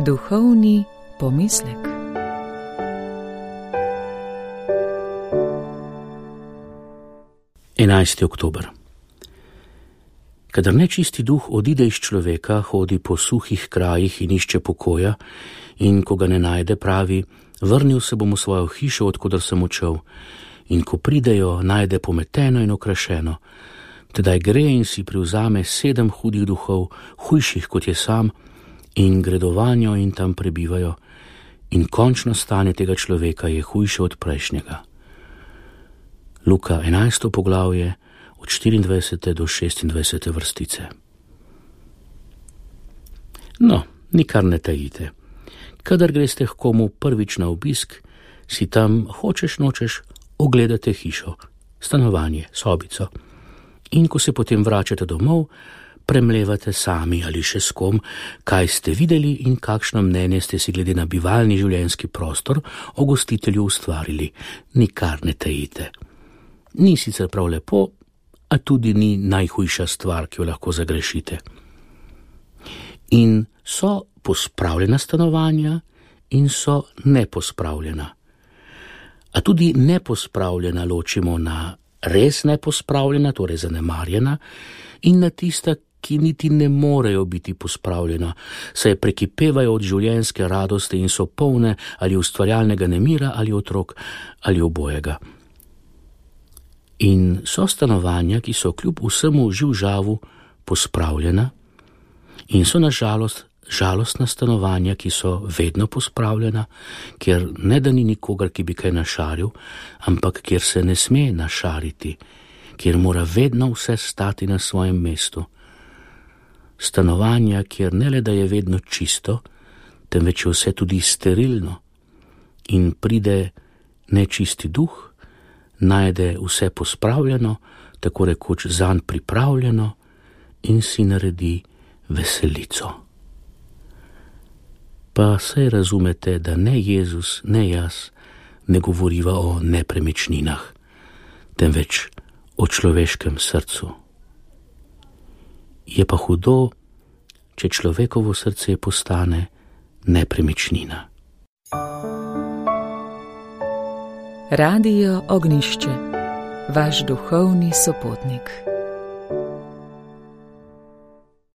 Duhovni pomislek. Enajsti oktober. Kadar nečisti duh odide iz človeka, hodi po suhih krajih in išče pokoja, in ko ga ne najde, pravi: vrnil se bom v svojo hišo, odkudar sem odšel. In ko pridejo, najde pometeno in okrašeno. Tedaj gre in si privzame 7 hudih duhov, hujših kot je sam, in gredo vanjo in tam prebivajo. In končno stanje tega človeka je hujše od prejšnjega. Luka 11. poglavje, od 24. do 26. vrstice. No, nikar ne tajite. Kadar greste k komu prvič na obisk, si tam hočeš nočeš ogledate hišo, stanovanje, sobico. In ko se potem vračate domov, premlevate sami ali še s kom, kaj ste videli in kakšno mnenje ste si glede na bivalni življenjski prostor o gostitelju ustvarili. Nikar ne tajite. Ni sicer prav lepo, a tudi ni najhujša stvar, ki jo lahko zagrešite. In so pospravljena stanovanja in so nepospravljena. A tudi nepospravljena ločimo na res nepospravljena, torej zanemarjena, in na tista, ki niti ne morejo biti pospravljena, saj prekipevajo od življenjske radosti in so polne ali ustvarjalnega nemira ali otrok ali obojega. In so stanovanja, ki so kljub vsemu živžavu pospravljena, in so na žalost žalostna stanovanja, ki so vedno pospravljena, kjer ne da ni nikogar, ki bi kaj našaril, ampak kjer se ne sme našariti, kjer mora vedno vse stati na svojem mestu. Stanovanja, kjer ne le da je vedno čisto, temveč je vse tudi sterilno, in pride nečisti duh, najde vse pospravljeno, tako rekoč zanj pripravljeno, in si naredi veselico. Pa saj razumete, da ne Jezus, ne jaz ne govoriva o nepremičninah, temveč o človeškem srcu. Je pa hudo, če človekovo srce postane nepremičnina. Radio Ognjišče, vaš duhovni sopotnik.